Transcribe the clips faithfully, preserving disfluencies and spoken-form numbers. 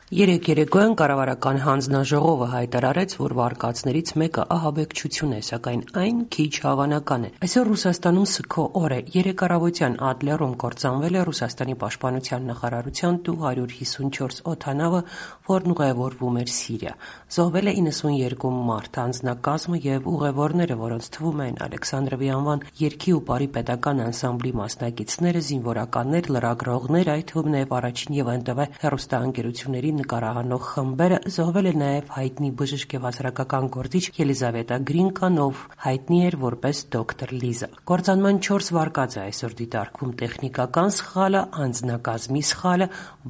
Երեկ երեկոյան կառավարական հանձնաժողովը հայտարարեց, որ վարկածներից մեկը ահաբեկչություն է, սակայն այն քիչ հավանական է։ Այսօր Ռուսաստանում սգո օր է։ Երեկ առավոտյան Ադլերում կործանվել է Ռուսաստանի պաշտպանության նախարարության Տու հարյուր հիսունչորս օդանավը, որն ուղևորվում էր Սիրիա։ Զոհվել է իննսունյերկու մարդ, անձնակազմը եւ ուղևորները, որոնց թվում են Ալեքսանդրովի անվան երգի ու պարի պետական անսամբլի մասնակիցները, զինվորականներ, լրագրողներ, այդ թվում նաեւ առաջին եւ ՆՏՎ հեռուստաընկերությունների նկարահանող խմբերը, զոհվել է նաև հայտնի բժիշկ եւ հասարակական գործիչ Ելիզավետա Գրինկան, ով հայտնի էր որպես դոկտոր Լիզա։ Կործանման չորս վարկած է այսօր դիտարկվում տեխնիկական սխալը, անձնակազմի սխալը,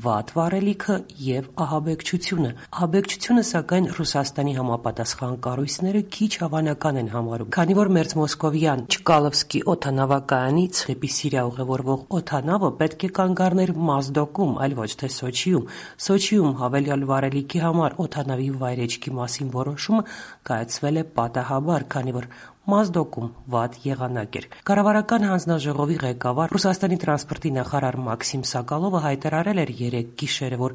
վատ վարելիքը եւ ահաբեկչությունը։ Ահաբեկչությունը, սակայն, Ռուսաստանի համապատասխան կառույցները քիչ հավանական են համարում, քանի որ Մերձմոսկովյան Չկալովսկի օդանավակայանից դեպի Սիրիա ուղևորվող օդանավը պետք է կանգ առներ Մազդոկում, այլ ոչ թե Սոչիում։ Սոչիում հավելյալ վարելիքի համար օդանավի վայրեջքի մասին որոշումը կայացվել է պատահաբար, քանի որ Մազդոկում վատ եղանակ էր։ Կառավարական հանձնաժողովի ղեկավար Ռուսաստանի տրանսպորտի նախարար Մաքսիմ Սոկոլովը հայտարարել էր երեկ գիշերը, որ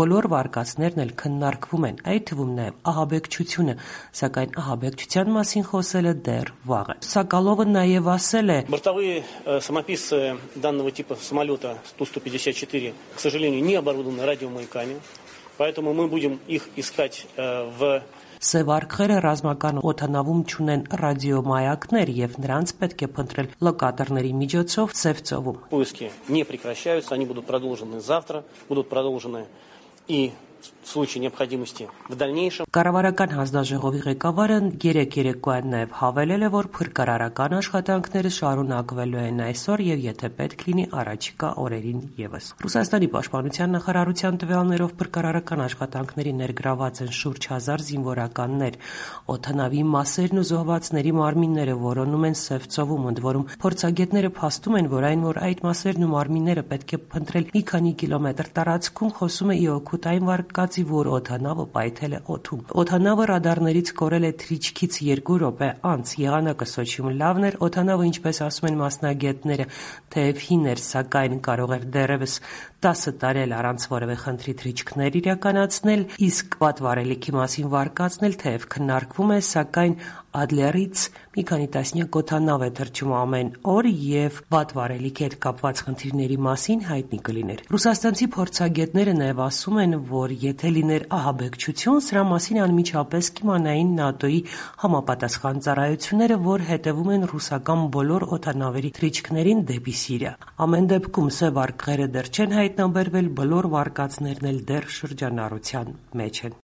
բոլոր վարկածներն էլ քննարկվում են, այդ թվում նաև ահաբեկչությունը, սակայն ահաբեկչության մասին խոսելը դեռ վաղ է։ Սոկոլովը նաև ասել է. Бортовые самописцы данного типа самолета Ту сто пятьдесят четыре, к сожалению, не оборудованы радиомаяками, поэтому мы будем их искать в Սև արքերը ռազմական օդանավում չունեն ռադիոմայակներ եւ նրանց պետք է փնտրել լոկատորների միջոցով Սև ծովում։ Поиски не прекращаются, они будут продолжены завтра, будут продолжены и в случае необходимости в дальнейшем. Կառավարական հանձնաժողովի ղեկավարը երեկ երեկոյան նաև հավելել է, որ փրկարարական աշխատանքները շարունակվելու են այսօր եւ եթե պետք լինի առաջիկա օրերին եւս։ Ռուսաստանի պաշտպանության նախարարության տվյալներով փրկարարական աշխատանքների ներգրաված են շուրջ հազար զինվորականներ։ Օդանավի մասերն ու զոհվածների մարմինները որոնում են Սև ծովում, ընդ որում փորձագետները փաստում են, որ այն, որ այդ մասերն ու մարմինները պետք է փնտրել մի քանի կիլոմետր տարածքում, խոսում է ի օգուտ այն վարկածի, որ օդանավը պայթել է օդում։ Օդանավը ռադարներից կորել է թռիչքից երկու րոպե անց։ Եղանակը Սոչիում լավն էր, օդանավը, ինչպես ասում են մասնագետները, թեև հին էր, սակայն կարող էր դեռևս տասը տարի առանց որևէ խնդրի թռիչքներ իրականացնել, իսկ վատ վարելիքի մասին վարկածն էլ թեև քննարկվում է, սակայն Ադլերից մի քանի տասնյակ օդանավ է թռչում ամեն օր եւ վատ վարելիքի հետ կապված խնդիրների մասին հայտնի կլիներ։ Ռուսաստանցի փորձագետները նաև ասում են, որ եթե լիներ ահաբեկչություն, սրա մասին անմիջապես կիմանային ՆԱՏՕ-ի համապատասխան ծառայությունները, որ հետևում են ռուսական բոլոր օդանավերի թռիչքներին դեպի Սիրիա։ Ամեն դեպքում Սև արքերը դեռ չեն հայտնաբերվել, բոլոր վարկածներն էլ դեռ շրջանառության մեջ են։